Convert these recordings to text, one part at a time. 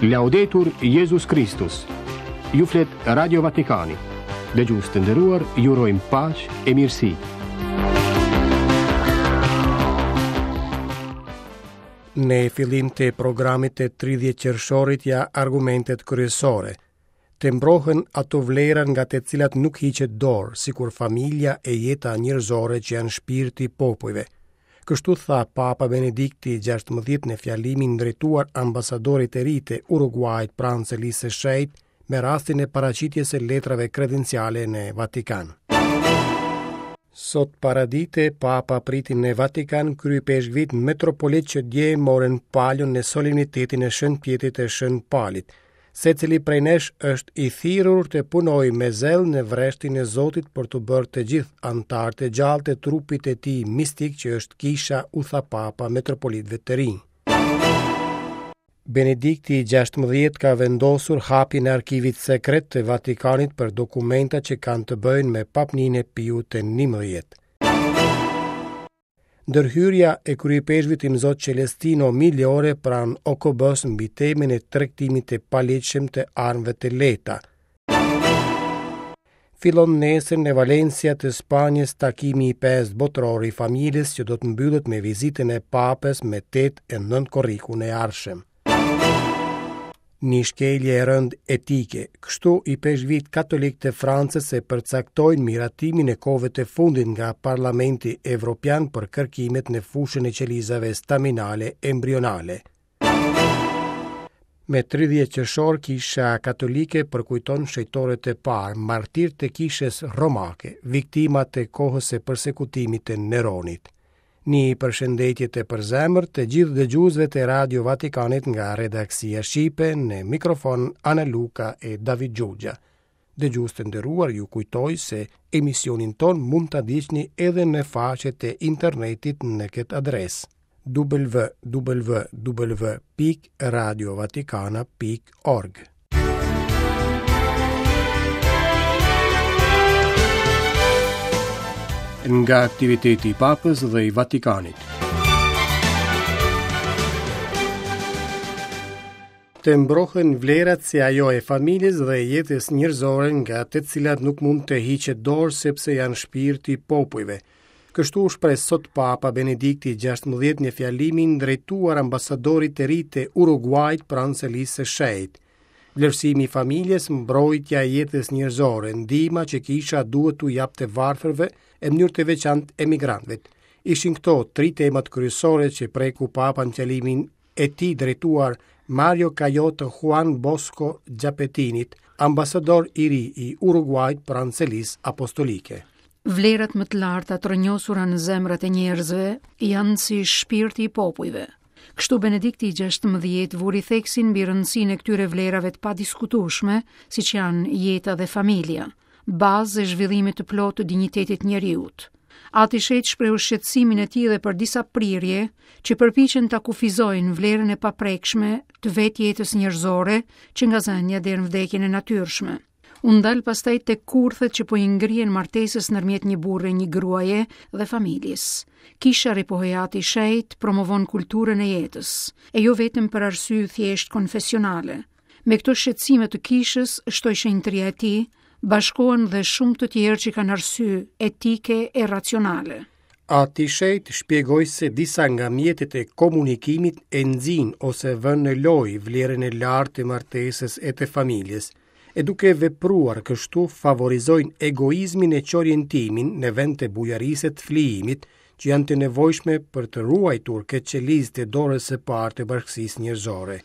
Laudetur Jezus Kristus. Ju flet Radio Vatikani. Dëgjues të nderuar, ju urojmë paqe e mirësi. Në fillim të programit të 30 qershorit ja argumentet kryesore. Të mbrohen ato vlera nga të cilat nuk hiqet dorë, sikur familja e jeta njerëzore që janë shpirti i popujve. Kështu tha Papa Benedikti XVI në fjalimin drejtuar ambasadorit të ri të Uruguait pranë Selisë së Shenjtë me rastin e paraqitjes së letrave kredenciale në Vatikan. Sot paradite, Papa priti në Vatikan kryeipeshkvit metropolit që dje morën palon në solemnitetin e Shën Pjetrit e Shën Palit. Secili prej nesh është i thirrur të punojë me zell në vreshtin e Zotit për t'u bërë të gjithë anëtarë të gjallë të trupit të tij mistik që është kisha, u tha Papa metropolitëve të rinj. Benedikti i 16 ka vendosur hapjen e arkivit sekret të Vatikanit për dokumenta që kanë të bëjnë me papninë e Piut të 11. Ndërhyrja e kryeipeshkvit Imzot Celestino Migliore pranë OKB-së mbi temën e tregtimit të paligjshëm të armëve të lehta. Fillon nesër në Valencia të Spanjës takimi i pestë botëror i familjes që do të mbyllet me vizitën e Papës me 8 e 9 korrikun e ardhshëm. Një shkelje e rëndë etike. Kështu ipeshkvijtë katolikë të Francës e përcaktojnë miratimin e kohëve të fundit nga Parlamenti Evropian për kërkimet në fushën e qelizave staminale embrionale. Me 30 qershor Kisha Katolike përkujton shenjtorët e parë, martirë të Kishës Romake, viktimat e kohës së persekutimit të Neronit. Një përshëndetje të përzemërt të gjithë dëgjuesve të Radio Vatikanit nga redaksia shqipe në mikrofon Ana Luka e David Xhuxha. Dëgjues të nderuar, ju kujtoj se emisionin tonë mund ta ndiqni edhe në faqet e internetit në këtë adresë www.radiovatikana.org. Nga aktiviteti i Papës dhe i Vatikanit. Të mbrohen vlerat si ajo e familjes dhe jetës njerëzore nga të cilat nuk mund të hiqet dorë sepse janë shpirti i popujve. Kështu u shpreh sot Papa Benedikti XVI në fjalimin drejtuar ambasadorit të ri të Uruguait pranë Selisë së Shenjtë. Vlerësimi i familjes, mbrojtja e jetës njerëzore, ndihma që kisha duhet t'u japë të varfërve e në mënyrë të veçantë emigrantëve. Ishin këto tri temat kryesore që preku Papa në fjalimin e tij drejtuar Mario Cayoto Juan Bosco Giapetinit, ambasador i ri i Uruguait pranë Selisë Apostolike. Vlerat më të larta të rrënjosura në zemrat e njerëzve janë si shpirti i popujve. Kështu Benedikti i 16 vuri theksin mbi rëndësinë e këtyre vlerave të padiskutueshme, siç janë jeta dhe familja. bazë e zhvillimit të plotë të dinjitetit të njeriut. Ati i Shenjtë shprehu shqetësimin e tij dhe për disa prirje që përpiqen ta kufizojnë vlerën e paprekshme të vetë jetës njerëzore që nga zënia deri në vdekjen e natyrshme. U ndal pastaj tek kurthet që po i ngrihen martesës ndërmjet një burri e një gruaje dhe familjes. Kisha ripohoi Ati i Shenjtë promovon kulturën e jetës, e jo vetëm për arsye thjesht konfesionale. Me këto shqetësime të kishës, shtoi shenjtëria e tij, bashkohen dhe shumë të tjerë që kanë arsye etike e racionale. Ati i Shenjtë shpjegoi se disa nga mjetet e komunikimit e nxijnë ose vënë në lojë vlerën e lartë të martesës e të familjes, e duke vepruar kështu favorizojnë egoizmin e çorientimin në vend të bujarisë e të flijimit, që janë të nevojshme për të ruajtur këtë qelizë të dorës së parë të bashkësisë njerëzore.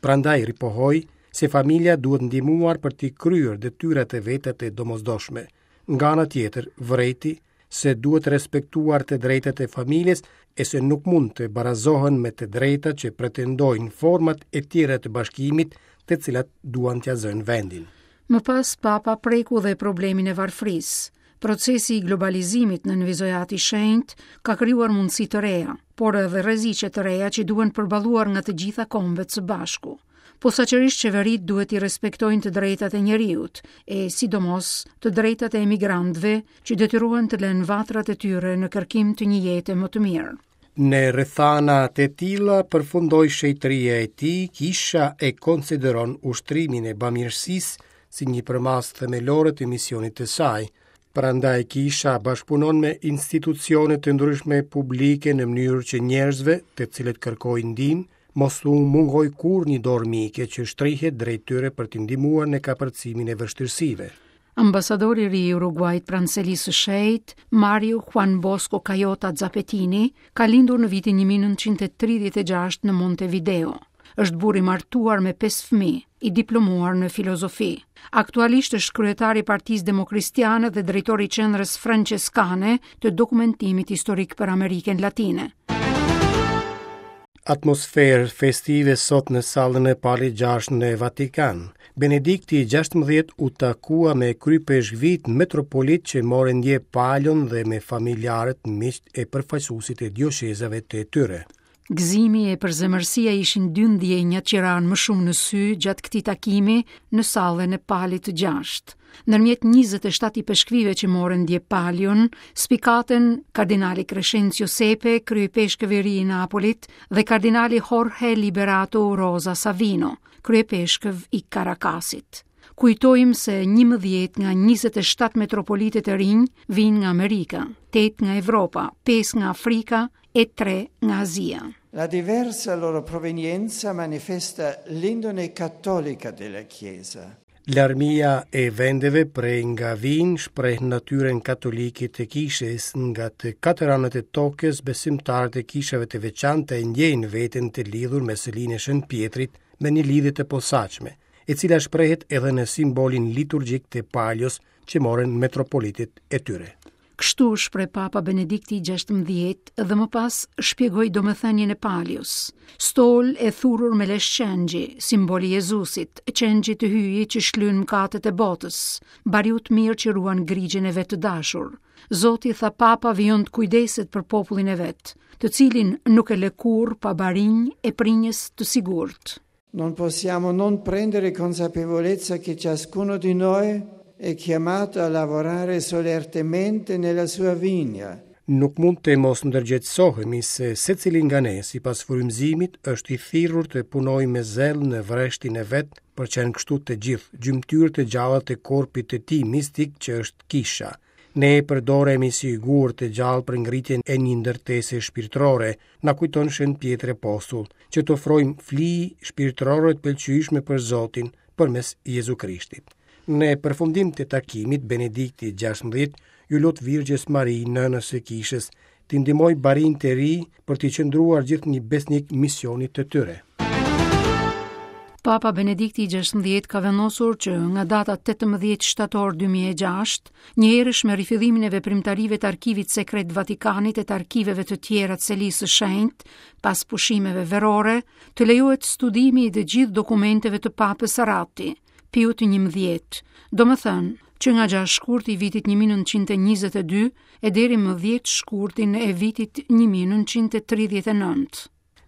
Prandaj ripohoi se familja duhet ndihmuar për t'i kryer detyrat e veta të domosdoshme. Nga ana tjetër, vërejti se duhet respektuar të drejtat e familjes e se nuk mund të barazohen me të drejtat që pretendojnë format e tjera të bashkimit, të cilat duan t'ia zënë vendin. Më pas Papa preku dhe problemin e varfërisë. Procesi i globalizimit, nënvizoi Ati i Shenjtë, ka krijuar mundësi të reja, por edhe rreziqe të reja që duhen përballuar nga të gjitha kombet së bashku. Posaçërisht qeveritë duhet t'i respektojnë të drejtat e njeriut, e sidomos të drejtat e emigrantëve që detyrohen të lënë vatrat e tyre në kërkim të një jete më të mirë. Në rrethana të tilla përfundoi shenjtëria e tij, kisha e konsideron ushtrimin e bamirësisë si një përmasë themelore të misionit të saj. Prandaj kisha bashkëpunon me institucione të ndryshme publike në mënyrë që njerëzve, të cilët kërkojnë ndihmë, mos t'u mungojë kurrë një dorë mike që shtrihet drejt tyre për t'i ndihmuar në kapërcimin e vështirësive. Ambasadori i ri i Uruguait pranë Selisë së Shenjtë, Mario Juan Bosco Cayota Zapetini, ka lindur në vitin 1936 në Montevideo. Është burrë i martuar me 5 fëmijë, i diplomuar në filozofi. Aktualisht është kryetar i Partisë Demokristiane dhe drejtor i Qendrës Françeskane të Dokumentimit Historik për Amerikën Latine. Atmosferë festive sot në sallën e Palit 6 në Vatikan. Benedikti i 16 u takua me kryeipeshkvijtë metropolitë që morën dje palion dhe me familjarët, miqtë e përfaqësuesit e dioqezave të tyre. Gëzimi e përzemërsia ishin dy ndjenjat që ranë më shumë në sy gjatë këtij takimi në sallën e Palit të gjashtë. Ndërmjet 27 ipeshkvijve që morën dje palion, spikatën kardinali Crescenzio Sepe, kryeipeshkëv i ri i Napolit, dhe kardinali Jorge Liberato Urosa Savino, kryeipeshkëv i Caracas-it. Kujtojmë se 11 nga 27 metropolitët e rinj vijnë nga Amerika, 8 nga Evropa, 5 nga Afrika e 3 nga Azia. La diversa loro provenienza manifesta l'indole cattolica della Chiesa. Larmia e vendeve prej nga vijnë shpreh natyrën katolike të kishës nga të katër anët e tokës besimtarët e kishave të veçanta e ndjejnë veten të lidhur me selinë e Shën Pjetrit me një lidhje të posaçme, e cila shprehet edhe në simbolin liturgjik të palios që morën metropolitët e tyre. Kështu u shpreh Papa Benedikti i 16 dhe më pas shpjegoi domethënien e palios. Stol e thurur me lesh qengji, simbol i Jezusit, qengjit të hyjit që shlyen mëkatet e botës, bariut të mirë që ruan grigjën e vet të dashur. Zoti, tha Papa, vijon të kujdeset për popullin e vet, të cilin nuk e lë kurrë pa barinj e prinjës të sigurt. Non possiamo non prendere consapevolezza che ciascuno di noi è chiamato a lavorare solertemente nella sua vigna. Nuk mund të mos ndërgjegjësohemi se secili nga ne, sipas frymëzimit, është i thirrur të punojë me zell në vreshtin e vet, për të qenë kështu të gjithë, gjymtyrë të gjalla të korpit të tij mistik që është kisha. Ne përdoremi si gurë të gjallë për ngritjen e një ndërtese shpirtërore, na kujton Shën Pjetri Apostull, që të ofrojmë fli shpirtërore të pëlqyeshme për Zotin përmes Jezu Krishtit. Në përfundim të takimit, Benedikti 16 iu lut Virgjës Mari, nënës së Kishës, t'i ndihmojë barinjtë e ri për t'i qëndruar gjithnjë besnik misionit të tyre. Papa Benedikti i 16 ka vendosur që nga data 18 shtator 2006, njëherësh me rifillimin e veprimtarive të arkivit sekret të Vatikanit e të arkiveve të tjera të Selisë së Shenjtë, pas pushimeve verore, të lejohet studimi i të gjithë dokumenteve të Papës Ratti, Piut 11, domethënë, që nga 6 shkurti i vitit 1922 e deri më 10 shkurtin e vitit 1939.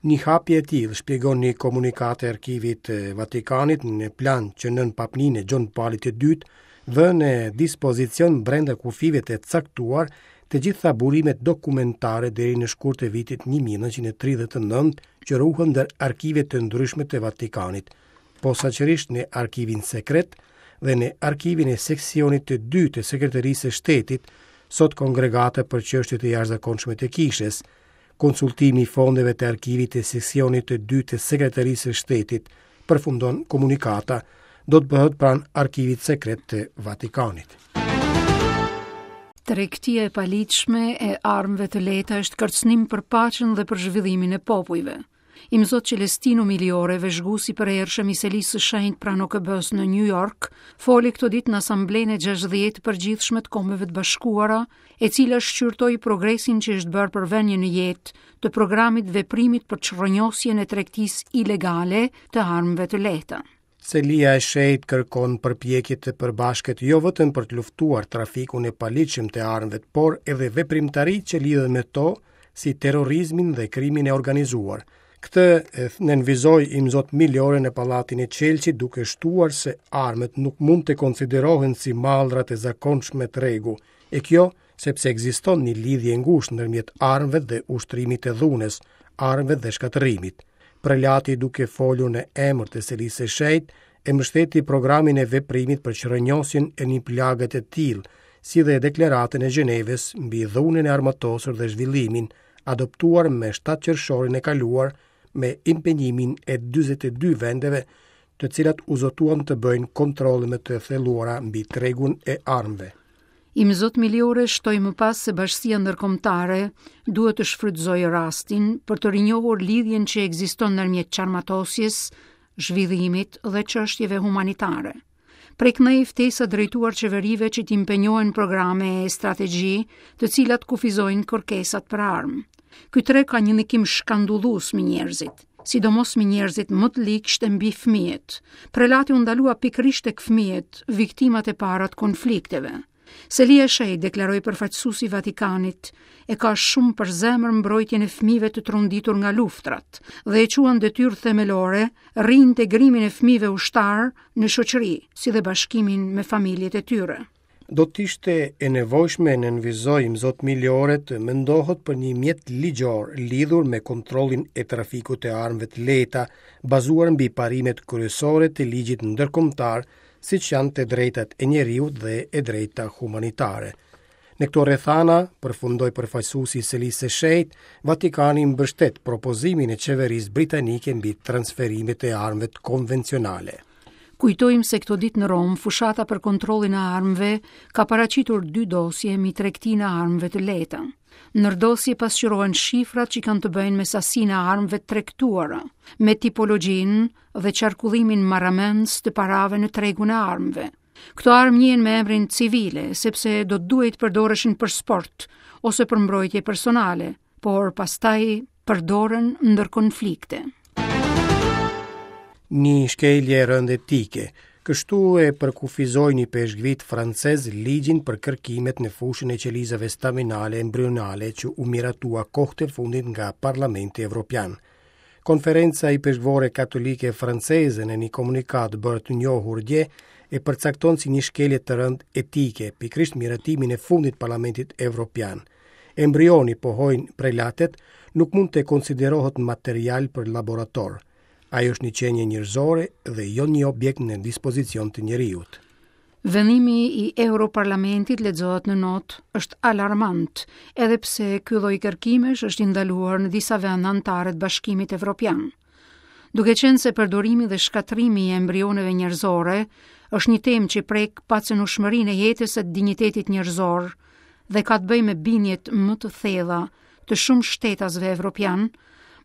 Një hapje e tillë, shpjegon një komunikatë e Arkivit të Vatikanit në plan që nën papninë e Gjon Palit të Dytë, vë në dispozicion brenda kufijve të caktuar të gjitha burimet dokumentare deri në shkurt të vitit 1939 që ruhen ndër arkive të ndryshme të Vatikanit, posaçërisht në arkivin sekret dhe në arkivin e seksionit të dytë të Sekreterisë së Shtetit, sot Kongregata për Çështjet e Jashtëzakonshme të Kishës, Konsultimi i fondeve të arkivit të seksionit të dytë të Sekretarisë së Shtetit, përfundon komunikata, do të bëhet pranë arkivit sekret të Vatikanit. Tregtia e paligjshme e armëve të lehta është kërcënim për paqen dhe për zhvillimin e popujve. Imzot Celestino Migliore, vëzhgues i përhershëm i Selisë së Shenjtë pranë OKB-së në New York, foli këto ditë në Asamblenë e 60 të Përgjithshme të Kombeve të Bashkuara, e cila shqyrtoi progresin që është bërë për vënien në jetë të programit të veprimit për çrrënjosjen e tregtisë ilegale të armëve të lehta. Selia e Shenjtë kërkon përpjekje të përbashkët jo vetëm për të luftuar trafikun e paligjshëm të armëve, por edhe veprimtaritë që lidhen me to, si terrorizmin dhe krimin e organizuar. Këtë e nënvizoi Imzot Migliore në Pallatin e Qelqit duke shtuar se armët nuk mund të konsiderohen si mallra të zakonshme tregu, e kjo. Sepse ekziston një lidhje e ngushtë ndërmjet armëve dhe ushtrimit të dhunës, armëve dhe shkatërrimit. Prelati duke folur në emër të Selisë së Shenjtë, e mbështeti programin e veprimit për çrrënjosjen e një plage të tillë, si dhe deklaratën e Gjenevës mbi dhunën e armatosur dhe zhvillimin, adoptuar me 7 qershorin e kaluar me impenjimin e 42 vendeve, të cilat u zotuan të bëjnë kontrolle më të thelluara mbi tregun e armëve. Imzot Migliore shtoi më pas se bashkësia ndërkombëtare duhet të shfrytëzojë rastin për të rinjohur lidhjen që ekziston ndërmjet çarmatosjes, zhvillimit dhe çështjeve humanitare. Prej këndej ftesa drejtuar qeverive që të impenjohen në programe e strategji, të cilat kufizojnë kërkesat për armë. Ky treg ka një ndikim shkandullues mbi njerëzit, sidomos mbi njerëzit më të ligshtë e mbi fëmijët. Prelati u ndalua pikërisht tek fëmijët, viktimat e para të konflikteve. Selia e Shenjtë, deklaroi përfaqësuesi i Vatikanit, e ka shumë për zemër mbrojtjen e fëmijëve të tronditur nga luftrat dhe e quan detyrë themelore riintegrimin e fëmijëve ushtarë në shoqëri, si dhe bashkimin me familjet e tyre. Do të ishte e nevojshme, nënvizoi Imzot Migliore, të mendohet për një mjet ligjor lidhur me kontrollin e trafikut të armëve të lehta, bazuar mbi parimet kryesore të ligjit ndërkombëtar, siç janë të drejtat e njeriut dhe e drejta humanitare. Në këto rrethana, përfundoi përfaqësuesi i Selisë së Shenjtë, Vatikani mbështet propozimin e qeverisë britanike mbi transferimet e armëve konvencionale. Kujtojmë se këto ditë në Romë, fushata për kontrollin e armëve ka paraqitur dy dosje mbi tregtinë e armëve të lehta. Në dosje pasqyrohen shifrat që kanë të bëjnë me sasinë e armëve të tregtuara, me tipologjinë dhe qarkullimin marramendës të parave në tregun e armëve. Këto armë njihen me emrin civile, sepse do të duhej të përdoreshin për sport ose për mbrojtje personale, por pastaj përdoren ndër konflikte. Një shkelje e rëndë etike. Kështu e përkufizojnë ipeshkvijtë francezë ligjin për kërkimet në fushën e qelizave staminale embrionale që u miratua kohët e fundit nga Parlamenti Evropian. Konferenca Ipeshkvore Katolike Franceze në një komunikatë bërë të njohur dje e përcakton si një shkelje të rëndë etike, pikërisht miratimin e fundit të Parlamentit Evropian. Embrioni, pohojnë prelatët, nuk mund të konsiderohet material për laborator. Ai është një qenie njerëzore dhe jo një objekt në dispozicion të njeriut. Vendimi i Europarlamentit lexohet në notë është alarmant, edhe pse ky lloj kërkimesh është i ndaluar në disa vende anëtare të Bashkimit Evropian. Duke qenë se përdorimi dhe shkatërrimi i embrioneve njerëzore është një temë që prek pacenueshmërinë e jetës e dinjitetit njerëzor dhe ka të bëjë me bindjet më të thella të shumë shtetasve evropianë,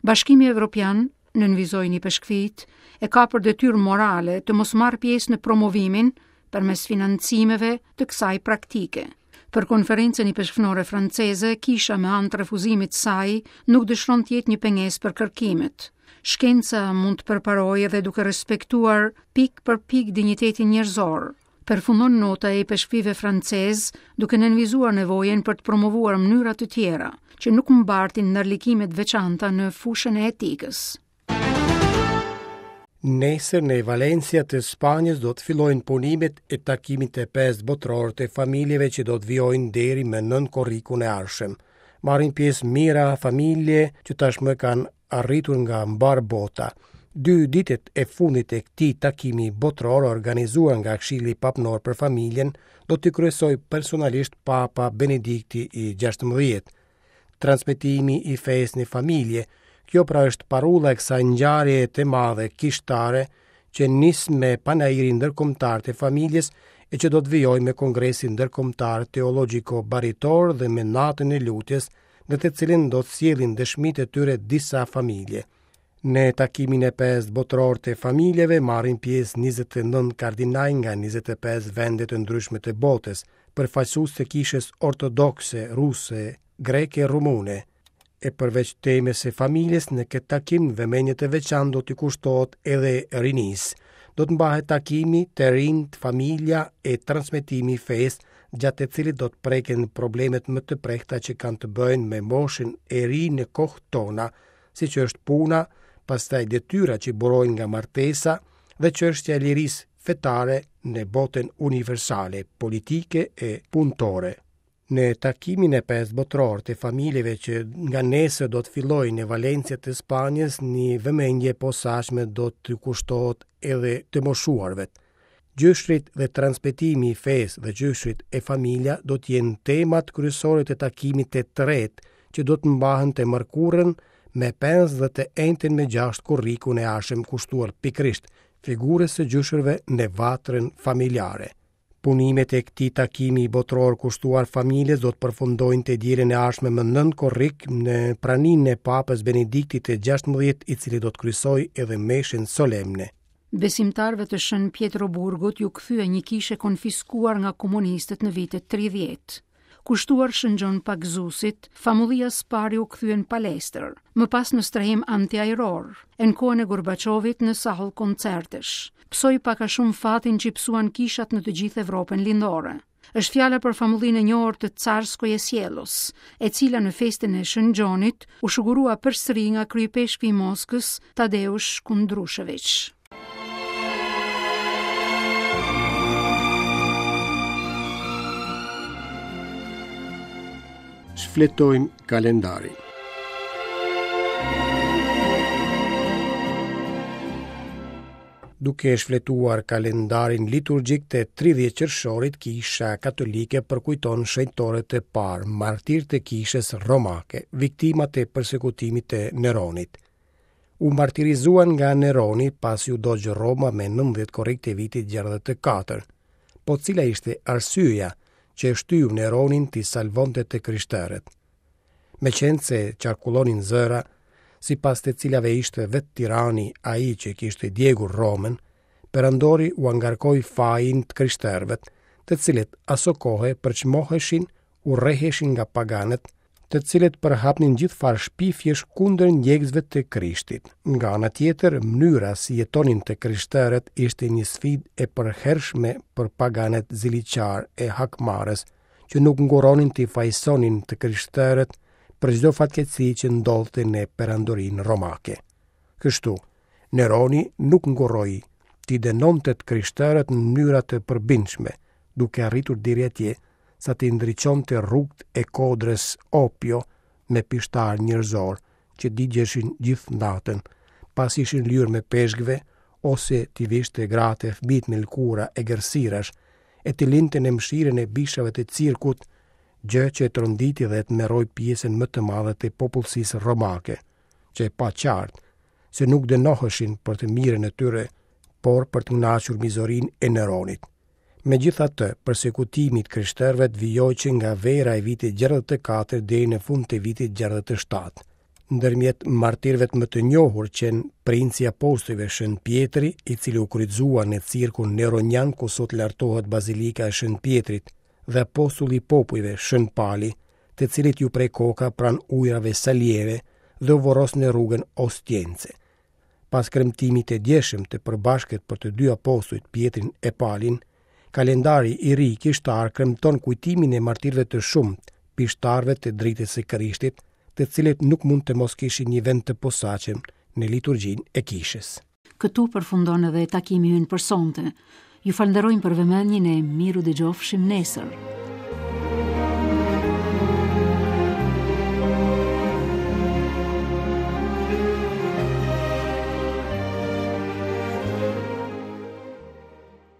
Bashkimi Evropian nënvizojnë ipeshkvijtë, e ka për detyrë morale të mos marrë pjesë në promovimin përmes financimeve të kësaj praktike. Për konferencën ipeshkvnore franceze, kisha me anë të refuzimit të saj nuk dëshiron të jetë një pengesë për kërkimet. Shkenca mund të përparojë edhe duke respektuar pikë për pikë dinjitetin njerëzor. Përfundon nota e ipeshkvijve francezë, duke nënvizuar nevojën për të promovuar mënyra të tjera, që nuk mbartin ndërlikime të veçanta në fushën e etikës. Nesër në Valencia të Spanjës do të fillojnë punimet e takimit të pestë botëror të familjeve që do të vijojnë deri më 9 korrikun e ardhshëm. Marrin pjesë mijëra familje që tashmë kanë arritur nga mbarë bota. Dy ditët e fundit e këtij takimi botëror organizuar nga Këshilli Papnor për Familjen do t'i kryesojë personalisht Papa Benedikti i 16. Transmetimi i fesë në familje, kjo pra është parulla e kësaj ngjarjeje të madhe kishtare që nis me Panairin Ndërkombëtar të Familjes e që do të vijojë me Kongresin Ndërkombëtar Teologjiko Baritor dhe me Natën e Lutjes në të cilin do të sjellin dëshmitë e tyre disa familje. Në takimin e pestë botëror të familjeve marrin pjesë 29 kardinaj nga 25 vende të ndryshme të botës, përfaqësues të kishës ortodokse, ruse, greke e rumune. E përveç temës së familjes, në këtë takim vëmendje të veçantë do t'i kushtohet edhe rinisë. Do të mbahet takimi të rinjtë, familja e transmetimi i fesë, gjatë të cilit do të preken problemet më të prehta që kanë të bëjnë me moshën e re në kohët tona, siç është puna, pastaj detyra që burojnë nga martesa dhe çështja e lirisë fetare në botën universale, politike e punëtore. Në takimin e pestë botëror të familjeve që nga nesër do të fillojë në Valencia të Spanjës, një vëmendje e posaçme do t'u kushtohet edhe të moshuarve. Gjyshrit dhe transmetimi i fesë dhe gjyshrit e familja do të jenë temat kryesore të takimit të tretë që do të mbahen të mërkurën me 5 dhe të enjten me 6 korrikun e ardhshëm kushtuar pikërisht figurës së gjyshërve në vatrën familjare. Punimet e këtij takimi botëror kushtuar familjes do të përfundojnë të dielën e ardhshme më 9 korrik në praninë e Papës Benediktit të 16, i cili do të kryesojë edhe meshën solemne. Besimtarëve të Shën Pjetroburgut iu kthye një kishë e konfiskuar nga komunistët në vitet 30. Kushtuar Shën Gjon Pagëzuesit, famullia së pari u kthye në palestër, më pas në strehim antiajror, e në kohën e Gorbaçovit në sallë koncertesh. Pësoi pak a shumë fatin që i pësuan kishat në të gjithë Evropën Lindore. Është fjala për famullinë e njohur të Carskoje Sjellos, e cila në festën e Shën Gjonit u shugurua përsëri nga kryeipeshkvi i Moskës, Tadeush Kundrusheviç. Shfletojmë kalendarin. Duke shfletuar kalendarin liturgjik të 30 qershorit, Kisha Katolike përkujton shenjtorët e parë, martirë të Kishës Romake, viktimat e persekutimit të Neronit. U martirizuan nga Neroni pasi u dogj Roma me 19 korrik të vitit 64. Po cila ishte arsyeja që e shtyu Neronin t'i salvonte të krishterët? Meqenëse qarkullonin zëra, sipas të cilave ishte vetë tirani ai që kishte djegur Romën, perandori ua ngarkoi fajin të krishterëve, të cilët asokohe përçmoheshin, urreheshin nga paganët, të cilët përhapnin gjithfarë shpifjesh kundër ndjekësve të Krishtit. Nga ana tjetër, mënyra si jetonin të krishterët ishte një sfidë e përhershme për paganët ziliqarë e hakmarrës, që nuk ngurronin t'i fajësonin të krishterët për çdo fatkeqësi që ndodhte në perandorinë romake. Kështu, Neroni nuk ngurroi t'i dënonte të krishterët në mënyra të përbindshme, duke arritur deri atje sa t'i ndriçonte rrugët e kodrës Opio me pishtarë njerëzorë që digjeshin gjithë natën, pasi ishin lyer me peshkve, ose t'i vishte gratë e fëmijët me lëkura egërsirash, e t'i linte në mëshirën e bishave të cirkut, gjë që e tronditi dhe e tmerroi pjesën më të madhe të popullsisë romake, që e pa qartë se nuk dënoheshin për të mirën e tyre, por për të kënaqur mizorinë e Neronit. Megjithatë, persekutimi i të krishterëve vijoi që nga vera e vitit 64 deri në fund të vitit 67. Ndërmjet martirëve më të njohur qenë princi i apostujve Shën Pjetri, i cili u kryqëzua në cirkun neronian ku sot lartohet Bazilika e Shën Pjetrit, dhe apostulli i popujve Shën Pali, të cilit iu pre koka pranë ujërave Salieve dhe u vorros në rrugën Ostiense. Pas kremtimit të djeshëm të përbashkët për të dy apostujt Pjetrin e Palin, kalendari i ri kishtar kremton kujtimin e martirëve të shumtë, pishtarëve të dritës së Krishtit, të cilët nuk mund të mos kishin një vend të posaçëm në liturgjinë e kishës. Këtu përfundon edhe takimi ynë për sonte. Ju falënderojmë për vëmendjen e mirudëgjofshim nesër.